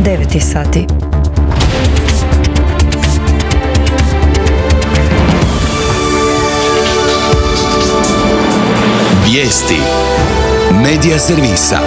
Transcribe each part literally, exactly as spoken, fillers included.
devet je sati. Vijesti Medija servisa.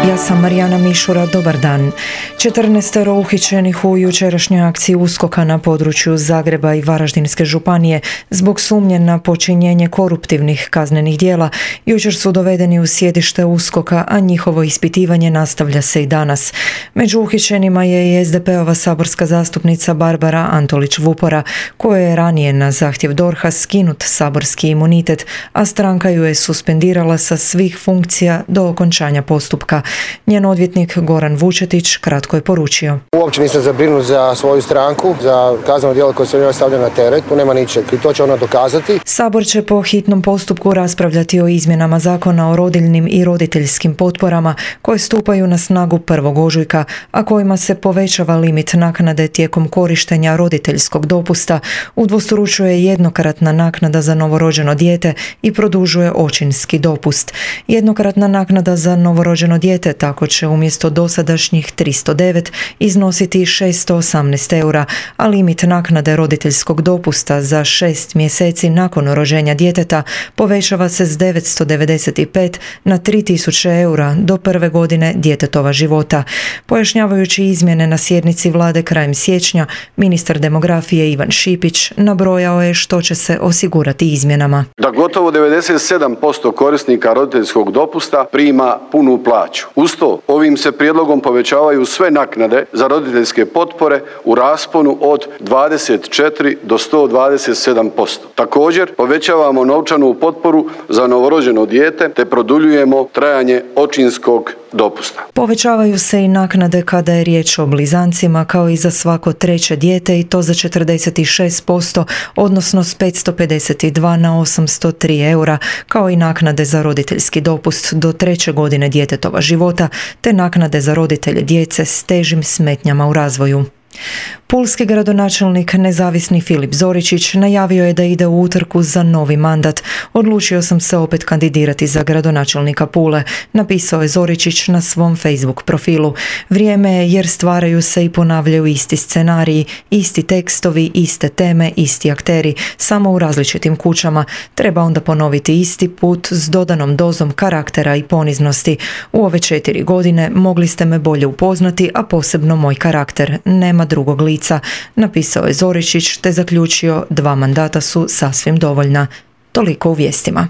Ja sam Marijana Mišura, dobar dan. četrnaestero uhićenih u jučerašnjoj akciji USKOK-a na području Zagreba i Varaždinske županije zbog sumnje na počinjenje koruptivnih kaznenih djela jučer su dovedeni u sjedište USKOK-a, a njihovo ispitivanje nastavlja se i danas. Među uhićenima je i es de pe ova saborska zastupnica Barbara Antolić-Vupora, koja je ranije na zahtjev D O R H-a skinut saborski imunitet, a stranka ju je suspendirala sa svih funkcija do okončanja postupka. Njen odvjetnik Goran Vučetić kratko je poručio: Uopće nisam zabrinut za svoju stranku, za kazneno djelo koje se njoj stavlja na teret, tu nema ničeg i to će ona dokazati. Sabor će po hitnom postupku raspravljati o izmjenama Zakona o rodiljnim i roditeljskim potporama koje stupaju na snagu prvog ožujka, a kojima se povećava limit naknade tijekom korištenja roditeljskog dopusta, udvostručuje jednokratna naknada za novorođeno dijete i produžuje očinski dopust. Jednokratna naknada za novorođeno dijete tako će umjesto dosadašnjih tristo devet iznositi šesto osamnaest eura, a limit naknade roditeljskog dopusta za šest mjeseci nakon rođenja djeteta povećava se s devetsto devedeset pet na tri tisuće eura do prve godine djetetova života. Pojašnjavajući izmjene na sjednici vlade krajem siječnja, ministar demografije Ivan Šipić nabrojao je što će se osigurati izmjenama. Da gotovo devedeset sedam posto korisnika roditeljskog dopusta prima punu plaću. Uz to, ovim se prijedlogom povećavaju sve naknade za roditeljske potpore u rasponu od dvadeset četiri do sto dvadeset sedam posto. Također, povećavamo novčanu potporu za novorođeno dijete te produljujemo trajanje očinskog dopusta. Povećavaju se i naknade kada je riječ o blizancima, kao i za svako treće dijete, i to za četrdeset šest posto, odnosno s petsto pedeset dva na osamsto tri eura, kao i naknade za roditeljski dopust do treće godine djetetova života, te naknade za roditelje djece s težim smetnjama u razvoju. Pulski gradonačelnik nezavisni Filip Zoričić najavio je da ide u utrku za novi mandat. Odlučio sam se opet kandidirati za gradonačelnika Pule, napisao je Zoričić na svom Facebook profilu. Vrijeme je jer stvaraju se i ponavljaju isti scenariji, isti tekstovi, iste teme, isti akteri, samo u različitim kućama. Treba onda ponoviti isti put s dodanom dozom karaktera i poniznosti. U ove četiri godine mogli ste me bolje upoznati, a posebno moj karakter. Nema drugog lica, napisao je Zoričić te zaključio: dva mandata su sasvim dovoljna. Toliko u vijestima.